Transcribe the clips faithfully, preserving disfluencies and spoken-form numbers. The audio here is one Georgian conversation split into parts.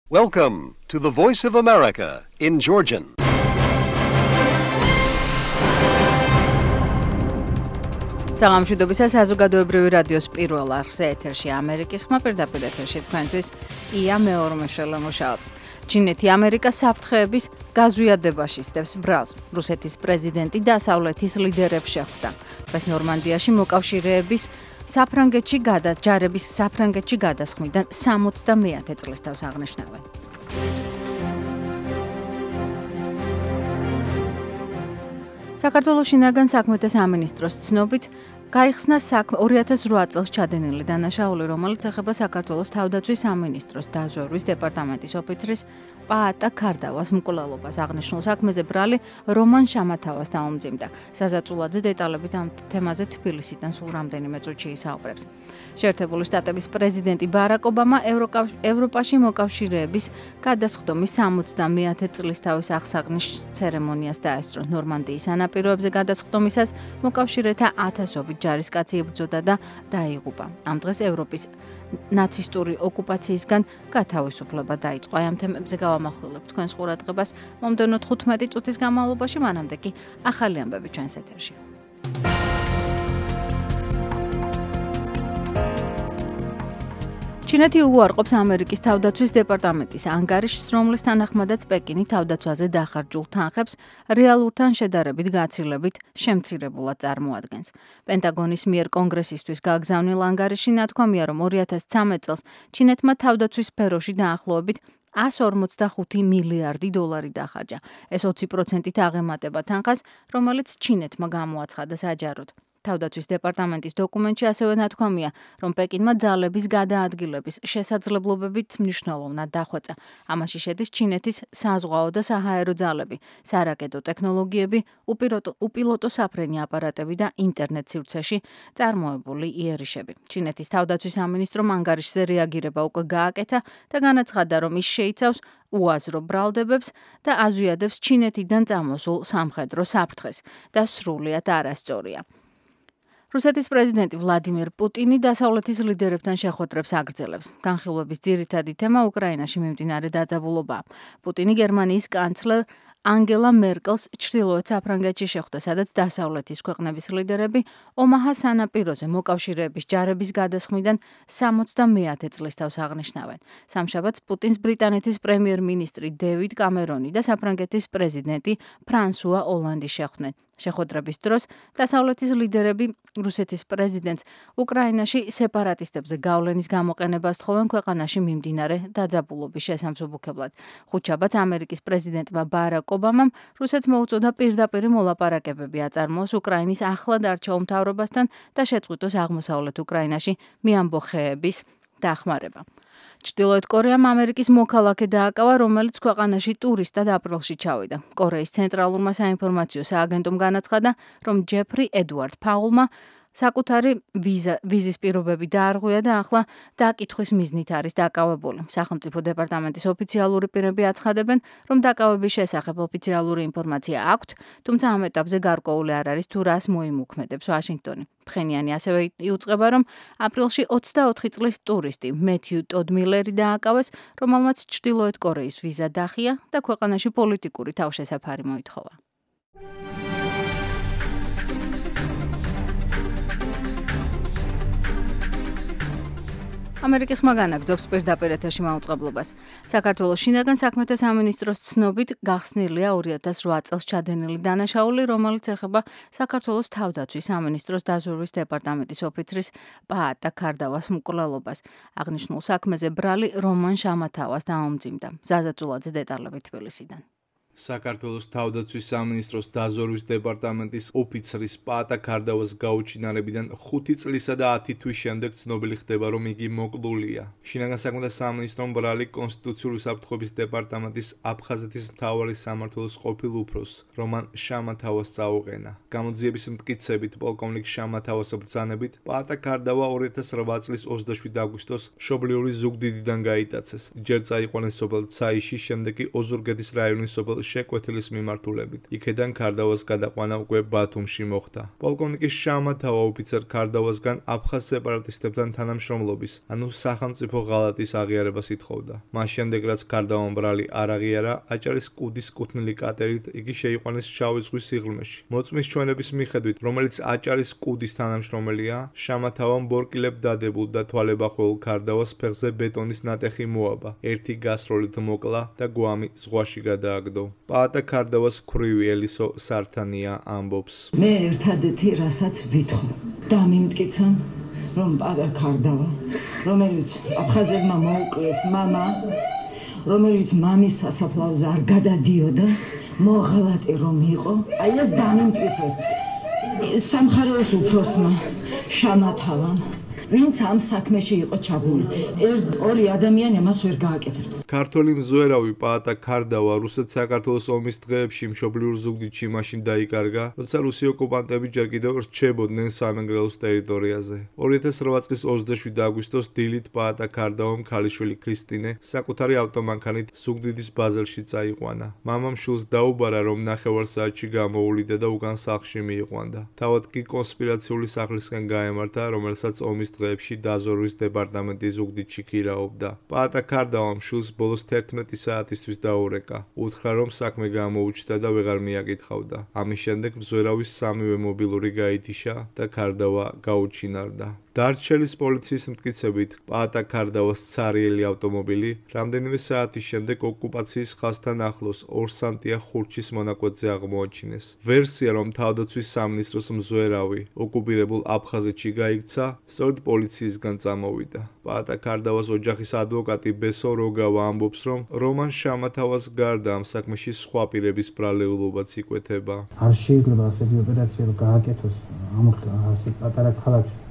Welcome to the Voice of America in Georgian. საღამოშვიდობისა საზოგადოებრივი რადიოს პირველ არხზე ეთერში ამერიკის ხმა პირდაპირ ეთერში თქვენთვის ია მეორმეშველა მუშაობს. ჩინეთი ამერიკას საფრთხეების გაზვიადებაში სტევს ბრალს. რუსეთის პრეზიდენტი დასავლეთის ლიდერებს შეხვდა. დღეს ნორმანდიაში მოკავშირეების საფრანგეთში გადაჯარების საფრანგეთში გადასხმიდან სამოცდამეათე წლის თავს აღნიშნავენ. საქართველოს შინაგან საქმეთა სამინისტროს ცნობით გაიხსნა საქმე ორი ათას რვა წელს ჩადენილი დანაშაული, რომელიც ეხება საქართველოს თავდაცვის სამინისტროს დაზვერვის დეპარტამენტის ოფიცრის პაატა ქარდავას მკვლელობას. აღნიშნულ საქმეზე ბრალი რომან შამათავას დაუმძიმდა. საზაწულაძე დეტალებით ამ თემაზე თბილისიდან სულ რამდენიმე წუთში ისაუბრებს. შეერთებული შტატების პრეზიდენტი ბარაკ ობამა ევროპაში მოკავშირეების გადასხდომის სამოცდამეათე წლისთავის აღსაყნის ცერემონიას დაესწრო. ნორმანდიის სანაპიროებზე გადასხდომისას მოკავშირეთა ათასობით ჯარისკაცი იბრძოდა და დაიღუპა. ამ დღეს ევროპის ნაცისტური ოკუპაციისგან გათავისუფლება დაიწყო. აი ამ თემებზე გავამახვილებთ თქვენს ყურადღებას მომდევნო თხუთმეტი წუთის განმავლობაში, მანამდე კი ახალი ამბები ჩვენს ეთერში. ჩინეთი უარყოფს ამერიკის თავდაცვის დეპარტამენტის ანგარიშს, რომლის თანახმადაც პეკინი თავდაცვაზე დახარჯულ თანხებს რეალურთან შედარებით გაცილებით შემცირებულად წარმოადგენს. პენტაგონის მიერ კონგრესისთვის გაგზავნილ ანგარიში ნათქვამია, რომ ორი ათას ცხრამეტ წელს ჩინეთმა თავდაცვის სფეროში დაახლოებით εκατს ორმოცდახუთი მილიარდი დოლარი დახარჯა. ეს ოცი პროცენტით აღემატება თანხას, რომელიც ჩინეთმა გამოაცხადა საჯაროდ. თავდაცვის დეპარტამენტის დოკუმენტში ასევე ნათქვამია, რომ პეკინმა ძალების გადაადგილების შესაძლებლობებით მნიშვნელოვნად დახვეწა. ამაში შედის ჩინეთის საზღვაო და საჰაერო ძალები, სარაკეტო ტექნოლოგიები, უპილოტო საფრენი აპარატები და ინტერნეტ სივრცეში წარმოებული იერიშები. ჩინეთის თავდაცვის სამინისტრომ ანგარიშზე რეაგირება უკვე გააკეთა და განაცხადა, რომ ის შეიცავს უაზრო ბრალდებებს და აზვიადებს ჩინეთიდან წამოსულ სამხედრო საფრთხეს და სრულიად არასწორია. რუსეთის პრეზიდენტი ვლადიმირ პუტინი დასავლეთის ლიდერებთან შეხვედრებს აგრძელებს. განხილვების ძირითადი თემა უკრაინაში მიმდინარე დაძაბულობაა. პუტინი გერმანიის კანცლერ ანგელა მერკელს ჩრდილოეთ საფრანგეთში შეხვდა, სადაც დასავლეთის ქვეყნების ლიდერები ომაჰას სანაპიროზე მოკავშირეების ჯარების გადასხმიდან სამოცდამეათე წლის თავს აღნიშნავენ. სამშაბათს პუტინს ბრიტანეთის პრემიერ-მინისტრი დევიდ კამერონი და საფრანგეთის პრეზიდენტი ფრანსუა ოლანდი შეხვდნენ. შეხვედრების დროს დასავლეთის ლიდერები რუსეთის პრეზიდენტს უკრაინაში სეპარატისტებზე გავლენის გამოყენებას თხოვენ ქვეყანაში მიმდინარე დაძაბულობის შესამსუბუქებლად. ხუთშაბათს ამერიკის პრეზიდენტმა ბარაკ ობამამ რუსეთს მოუწოდა პირდაპირ მოლაპარაკებები აწარმოოს უკრაინის ახლად არჩეულ მთავრობასთან და შეწყვიტოს აღმოსავლეთ უკრაინაში მიამბოხეების დახმარება. ჩრდილოეთ კორეამ ამერიკის მოქალაქე დააკავა, რომელიც ქვეყანაში ტურისტად აპრილში ჩავიდა. კორეის ცენტრალურმა საინფორმაციო სააგენტომ განაცხადა, რომ ჯეფრი ედუარდ ფაულმა საკუთარი ვიზა, ვიზის პირობები დაარღვია და ახლა დაკითხვის მიზნით არის დაკავებული. სახელმწიფო დეპარტამენტის ოფიციალური პირები აცხადებენ, რომ დაკავების შესახებ ოფიციალური ინფორმაცია აქვთ, თუმცა ამ ეტაპზე გარკვეული არ არის თუ რას მოიმოქმედებს ვაშინგტონი. ფხენიანი ასევე იუწყება, რომ აპრილში ოცდაოთხი წლის ტურისტი მეთიუ ტოდმილერი დააკავეს, რომელმაც ჩრდილოეთ კორეის ვიზა დახია და ქვეყანაში პოლიტიკური თავშესაფარი მოითხოვა. ამერიკის ხმა განაგრძობს პირდაპირ ეთერში მაუწყებლობას. საქართველოს შინაგან საქმეთა სამინისტროს ცნობით გახსნილია ორი ათას რვა წელს ჩადენილი დანაშაული, რომელიც ეხება საქართველოს თავდაცვის სამინისტროს დაზვერვის დეპარტამენტის ოფიცრის პაატა ქარდავას მკვლელობას. აღნიშნულ საქმეზე ბრალი რომან შამათავას დაუმძიმდა. ზაზაწულაძე დეტალები თბილისიდან. საქართველოს თავდაცვის სამინისტროს დაზვერვის დეპარტამენტის ოფიცრის პაატა ქარდავას გაუჩინარებიდან ხუთი წლისა და ათი თვის შემდეგ ცნობილი ხდება, რომ იგი მოკლულია. შინაგან საქმეთა სამინისტრომ ბრალი კონსტიტუციური საფრთხეების დეპარტამენტის აფხაზეთის მთავარი სამმართველოს ყოფილ უფროსს რომან შამათავას წაუყენა. გამოძიების მტკიცებით პოლკოვნიკ შამათავას ბრძანებით პაატა ქარდავა ორი ათას რვა წლის ოცდაშვიდი აგვისტოს მშობლიური ზუგდიდიდან გაიტაცეს. ჯერ წაიყვანეს სოფელ ცაიში, შემდეგ კი ოზურგეთის რაიონის სოფელ შეკვეთილის მიმართულებით. იქედან ქარდავას გადაყვანა უკვე ბათუმში მოხდა. პოლკოვნიკის შამათავა ოფიცერ ქარდავასგან აფხაზ სეპარატისტებთან თანამშრომლობის, ანუ სახელმწიფო ღალატის აღიარებას ითხოვდა. მას შემდეგ რაც ქარდავამ ბრალი არ აღიარა, აჭარის კუდის კუთვნილი კატერით იგი შეიყვანეს შავი ზღვის სიღრმეში. მოწმის ჩვენების მიხედვით, რომელიც აჭარის კუდის თანამშრომელია, შამათავამ ბორკილებ დადებულ და თვალებახველულ ქარდავას ფეხზე ბეტონის ნატეხი მოაბა. ერთი გასროლით მოკლა და გვამი ზღვაში გადააგდო. პაატა ქარდავას ქვრივი ელისო სართანია ამბობს. მე ერთადერთი რასაც ვითხოვ, დამიმტკიცონ, რომ პაატა ქარდავა, რომელიც აფხაზებმა მოუკლეს მამა, რომელიც მამის სასაფლაოზე არ გადადიოდა, მოღალატე რომ იყო, აი ეს დამიმტკიცოს. სამხარეოს უფროსმა შამათავამ, ვინც ამ საქმეში იყო ჩაბმული. ერთ ორი ადამიანი მას ვერ გააკეთებდა. ქართველი მზვერავი პაატა ქარდავა რუსეთ-საქართველოს ომის დღეებში მშობლიურ ზუგდიდში მაშინ დაიკარგა, როცა რუსი ოკუპანტები ჯერ კიდევ რჩებოდნენ სამეგრელოს ტერიტორიაზე. ორი ათას რვა წლის ოცდაშვიდი აგვისტოს დილით პაატა ქარდავამ ქალიშვილი ქრისტინე საკუთარი ავტომანქანით ზუგდიდის ბაზელში წაიყვანა. მამამ შვილს დაუბარა, რომ ნახევარსაათში გამოუვლიდა და უკან სახლში მიიყვანდა. თავად კი კონსპირაციული სახლისკენ გაემართა, რომელსაც ომის დღეებში დაზვერვის დეპარტამენტი ზუგდიდში ქირაობდა. პაატა ქარდავამ შვილს ბოლოს თერთმეტი საათისთვის დაურეკა. უთხრა, რომ საქმე გამოუჩნდა და ვეღარ მიაკითხავდა. ამის შემდეგ მზვერავის სამივე მობილური გაითიშა და ქარდავა გაუჩინარდა. დარჩელის პოლიციის მტკიცებით, პაატა ქარდავას ცარიელი ავტომობილი რამდენიმე საათის შემდეგ ოკუპაციის ხაზთან ახლოს ორსანტია ხურჩის მონაკვეთზე აღმოაჩინეს. ვერსია, რომ თავდაცვის სამინისტროს მზვერავი ოკუპირებულ აფხაზეთში გაიქცა, სწორედ პოლიციისგან წამოვიდა. პაატა ქარდავას ოჯახის ადვოკატი ბესო როგავა ამბობს, რომ რომან შამათავას გარდა ამ საქმეში სხვა პირების ბრალეულობაც იკვეთება. არ შეიძლება ასეთი ოპერაცია რომ გააკეთოს ამ ასე პატარა ქალაქში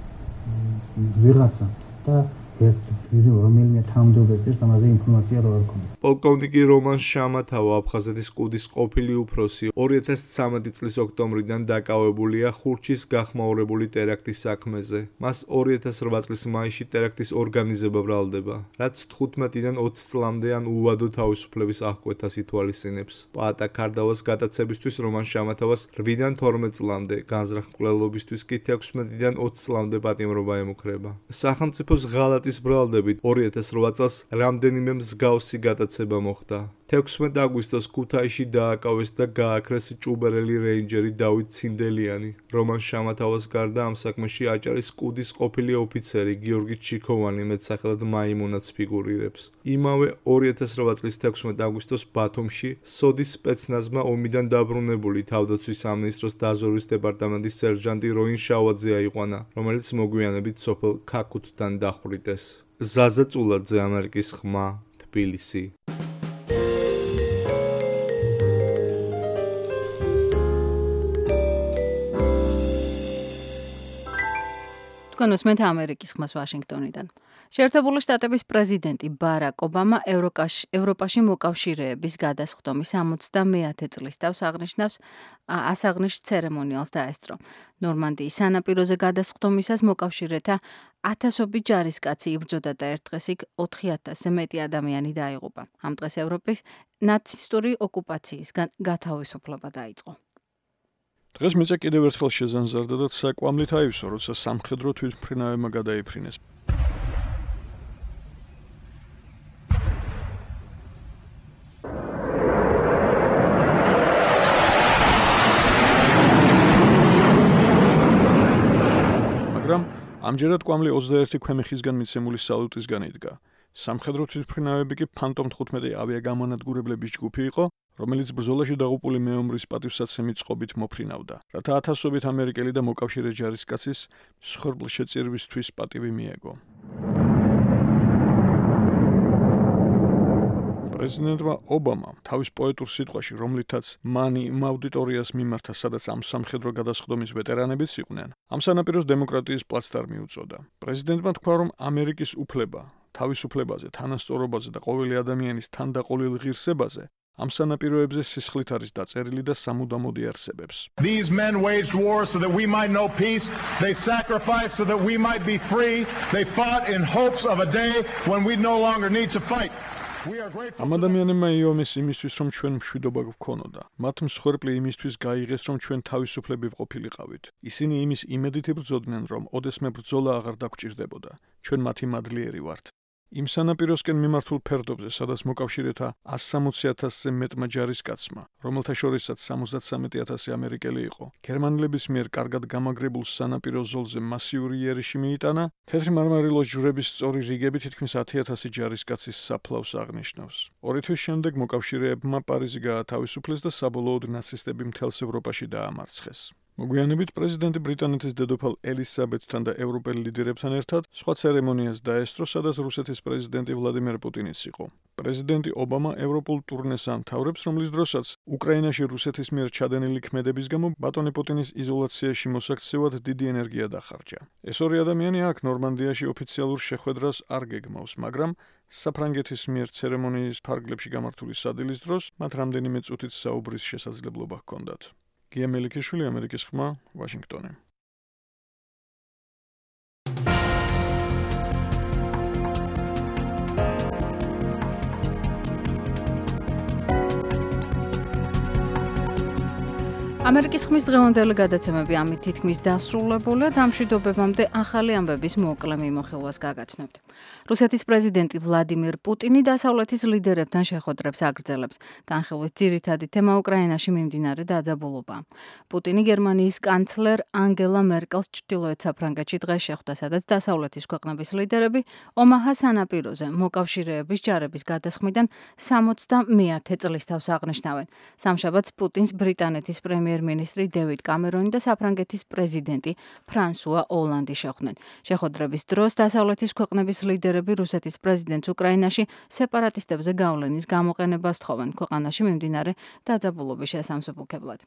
ვიღაცა და ერთ ვიდეო რომელიმე თანამდებობებს ამაზე ინფორმაცია რო არ ქონდა. პოლკოვნიკი რომან შამათავა აფხაზეთის კუდის ყოფილი უფროსი ორი ათას ცხრამეტი წლის ოქტომბრიდან დაკავებულია ხურჩის გახმაურებული ტერაქტის საქმეზე. მას ორი ათას რვა წლის მაისში ტერაქტის ორგანიზება ბრალდება, რაც თხუთმეტიდან ოცი წლამდე ან უვადო თავისუფლების აღკვეთას ითვალისწინებს. პაატა ქარდავას გადაცებისთვის რომან შამათავას რვიდან თორმეტ წლამდე, განზრახ მკვლელობისთვის კი თექვსმეტიდან ოცი წლამდე პატიმრობა ემუქრება. სახელმწიფოს ღალატის ბრალდებით ორი ათას რვა წელს რამდენიმე მსგავსი გადაცება მოხდა. თექვსმეტი აგვისტოს ქუთაისში დააკავეს და გააქრეს ჭუბერელი რეინჯერი დავით ცინდელიანი. რომან შამათავას გარდა ამ საქმეში აჭარის კუდის ყოფილი ოფიცერი გიორგი ჩიქოვანი მეტსახელად მაიმუნაც ფიგურირებს. იმავე ორი ათას რვა წლის თექვსმეტი აგვისტოს ბათუმში სოდის სპეცნაზმა ომიდან დაბრუნებული თავდაცვის სამინისტროს დაზვერვის დეპარტამენტის სერჟანტი როინ შავაძე აიყვანა, რომელიც მოგვიანებით სოფელ ქაქუთთან დახვრიტეს. ზაზა წულაძე, ამერიკის ხმა, თბილისი. თქვენ უსმენთ ამერიკის ხმას ვაშინგტონიდან. შეერთებული შტატების პრეზიდენტი ბარაკ ობამა ევროპაში მოკავშირეების გადასხდომის სამოცდამეათე წლის თავს აღნიშნავს ასაღნიშ ცერემონიალს დაესწრო. ნორმანდიის სანაპიროზე გადასხდომისას მოკავშირეთა ათასობით ჯარისკაცი იბრძოდა და ერთ დღეს იქ ოთხი ათასზე მეტი ადამიანი დაიღუპა. ამ დღეს ევროპის ნაცისტური ოკუპაციისგან გათავისუფლება დაიწყო. დღეს მეც კიდევ ერთხელ შეზანზარდა და საკვამლით აივსო, როცა სამხედრო თვითმფრინავებმა გადაიფრინეს. მაგრამ ამჯერად კვამლი ოცდაერთი ქვემეხისგან მიცემული სალუტისგან იდგა. სამხედრო თვითმფრინავები კი ფანტომ თხუთმეტი ავიაგამონადგურებლების ჯგუფი იყო, რომელიც ბრძოლაში დაღუპული მეომრის პატივსაცემი წყობით მოფრინავდა, რათა ათასობით ამერიკელი და მოკავშირე ჯარისკაცის მსხვერპლშეწირვისთვის პატივი მიეგო. პრეზიდენტმა ობამამ თავის პოეტურ სიტყვაში, რომლითაც მან იმ აუდიტორიას მიმართა, სადაც ამ სამხედრო გადასხდომის ვეტერანებიც იყვნენ, ამ სანაპიროს დემოკრატიის პლაცდარმი უწოდა. პრეზიდენტმა თქვა, რომ ამერიკის უფლება, თავისუფლებაზე, თანასწორობაზე და ყოველი ადამიანის თანდაყოლილ ღირსებაზე ამ სანაპიროებზე სისხლით არის დაწერილი და სამუდამოდ იარსებებს. These men waged war so that we might know peace. They sacrificed so that we might be free. They fought in hopes of a day when we no longer need to fight. We are grateful. ამ ადამიანებმა იომეს იმისთვის, რომ ჩვენ მშვიდობა გვქონოდა. მათ მსხვერპლი იმისთვის გაიღეს, რომ ჩვენ თავისუფლები ვყოფილიყავით. ისინი იმის იმედით იბრძოდნენ, რომ ოდესმე ბრძოლა აღარ დაგჭირდებოდა. ჩვენ მათი მადლიერი ვართ. იმ სანაპიროსკენ მიმართულ ფერდობზე, სადაც მოკავშირეთა ასი სამოცი ათასზე მეტმა ჯარისკაცმა, რომელთა შორისაც სამოცდამეტი ათასი ამერიკელი იყო, გერმანელების მიერ კარგად გამაგრებულ სანაპირო ზოლზე მასიური იერიში მიიტანა, თეთრი მარმარილოს ჯვრების სწორი რიგები თითქმის ათი ათასი ჯარისკაცის საფლავს აღნიშნავს. ორი თვის შემდეგ მოკავშირეებმა პარიზი გაათავისუფლეს და საბოლოოდ ნაცისტები მთელს ევროპაში დაამარცხეს. მოგვიანებით პრეზიდენტი ბრიტანეთის დედოფალ ელისაბედთან და ევროპელ ლიდერებთან ერთად სხვა ცერემონიას დაესწრო, სადაც რუსეთის პრეზიდენტი ვლადიმერ პუტინიც იყო. პრეზიდენტი ობამა ევროპულ ტურნეს ამთავრებს, რომლის დროსაც უკრაინაში რუსეთის მიერ ჩადენილი ქმედების გამო ბატონი პუტინის იზოლაციაში მოსაქცევად დიდი ენერგია დახარჯა. ეს ორი ადამიანი აქ ნორმანდიაში ოფიციალურ შეხვედრას არ გეგმავს, მაგრამ საფრანგეთის მიერ ცერემონიის ფარგლებში გამართული სადილის დროს მათ რამდენიმე წუთით საუბრის შესაძლებლობა ჰქონდათ. გია მელიქიშვილი, ამერიკის ხმა, ვაშინგტონი. ამერიკის ხმის დღევანდელი გადაცემები ამით თითქმის დასრულებულია და ამშვიდობებამდე ახალი ამბების მოკლე მიმოხილვას გაგაცნობთ. რუსეთის პრეზიდენტი ვლადიმირ პუტინი დასავლეთის ლიდერებთან შეხვედრებს აგრძელებს. განხილვის ძირითადი თემა უკრაინაში მიმდინარე დაძაბულობაა. პუტინი გერმანიის კანცლერ ანგელა მერკელს ჩრდილოეთ საფრანგეთში დღეს შეხვდა, სადაც დასავლეთის ქვეყნების ლიდერები ომაჰას სანაპიროზე მოკავშირეების ჯარების გადასხმიდან სამოცდამეათე წლის თავს აღნიშნავენ. სამშაბათს პუტინს ბრიტანეთის პრემიერ-მინისტრი დევიდ კამერონი და საფრანგეთის პრეზიდენტი ფრანსუა ოლანდი შეხვდნენ. შეხვედრების დროს დასავლეთის ქვეყნების ლიდერები რუსეთის პრეზიდენტს უკრაინაში სეპარატისტებზე გავლენის გამოყენებას თხოვენ ქვეყანაში მიმდინარე დაძაბულობის შესამსუბუქებლად.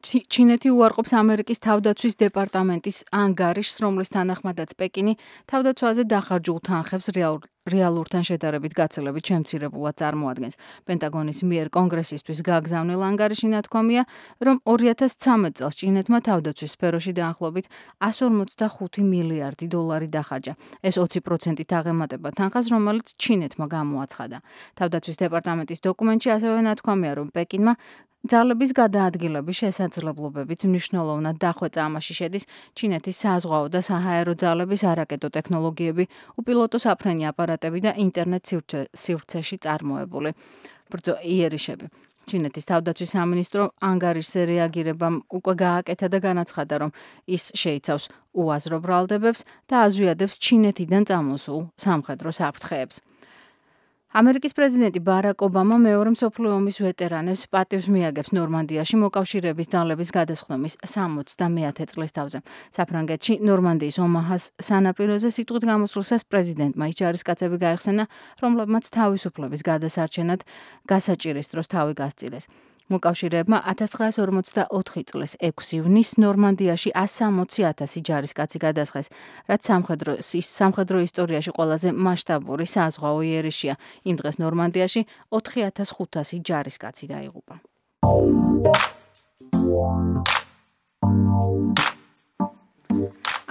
ჩინეთი უარყოფს ამერიკის თავდაცვის დეპარტამენტის ანგარიშს, რომლის თანახმადაც პეკინი თავდაცვაზე დახარჯულ თანხებს რეალურთან შედარებით გაცილებით შემცირებულად წარმოადგენს. პენტაგონის მიერ კონგრესისთვის გაგზავნილ ანგარიში ნათქვამია, რომ ორი ათას ცხრამეტ წელს ჩინეთმა თავდაცვის სფეროში დაახლოებით εκατს ორმოცდახუთი მილიარდი დოლარი დახარჯა. ეს ოცი პროცენტით აღემატება თანხას, რომელიც ჩინეთმა გამოაცხადა. თავდაცვის დეპარტამენტის დოკუმენტში ასევე ნათქვამია, რომ პეკინმა ძალების გადაადგილების შესაძლებლობებიც მნიშვნელოვნად დახვეწა. ამაში შედის ჩინეთის საზღვაო და საჰაერო ძალების არაკეტო ტექნოლოგიები, უპილოტო საფრენი აპარატები და ინტერნეტ სივრცეში წარმოებული ბრძო იერიშები. ჩინეთის თავდაცვის სამინისტრო ანგარიშზე რეაგირებამ უკვე გააკეთა და განაცხადა, რომ ის შეიცავს უაზრო ბრალდებებს და აზვიადებს ჩინეთიდან წამოსულ სამხედრო საფრთხეებს. ამერიკის პრეზიდენტი ბარაკ ობამა მეორე მსოფლიო ომის ვეტერანებს პატივს მიაგებს ნორმანდიაში მოკავშირეების ძალების გადასხდომის სამოცდამეათე წლის თავზე. საფრანგეთში ნორმანდიის ომაჰას სანაპიროზე სიტყვით გამოსვლისას პრეზიდენტმა ის ჯარისკაცები გაიხსენა, რომლებმაც თავისუფლების გადასარჩენად გასაჭირის დროს თავი გასწირეს. მოკავშირეებმა ათას ცხრაას ორმოცდაოთხი წლის ექვსი ივნისს ნორმანდიაში ასი სამოცი ათასი ჯარისკაცი გადასხეს, რაც სამხედრო ისტორიაში ყველაზე მასშტაბური საზღვაო იერიშია. იმ დღეს ნორმანდიაში ოთხი ათას ხუთასი ჯარისკაცი დაიღუპა.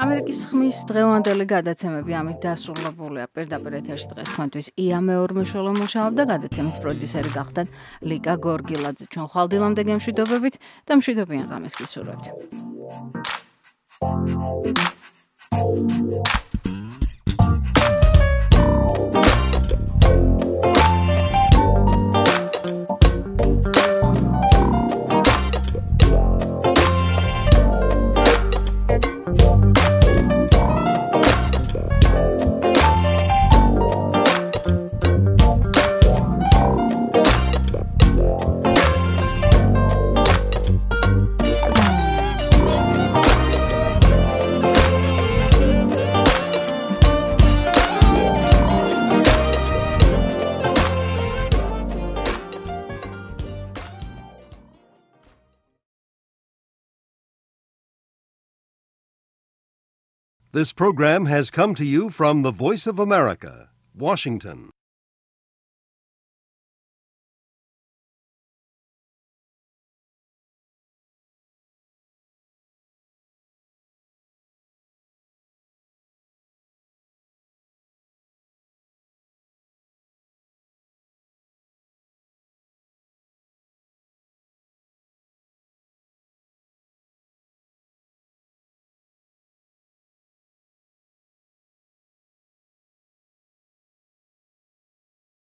ამერიკის ხმის დღევანდელი გადაცემები ამით დასრულებულია. პირდაპირ ეთერში დღეს თქვენთვის ია მეორმეშველო მუშაობდა, გადაცემის პროდიუსერი გახდათ ლიკა გორგილაძე. ჩვენ ხვალდილამდე გემშვიდობებით და მშვიდობიან ღამეს გისურვებთ. This program has come to you from the Voice of America, Washington.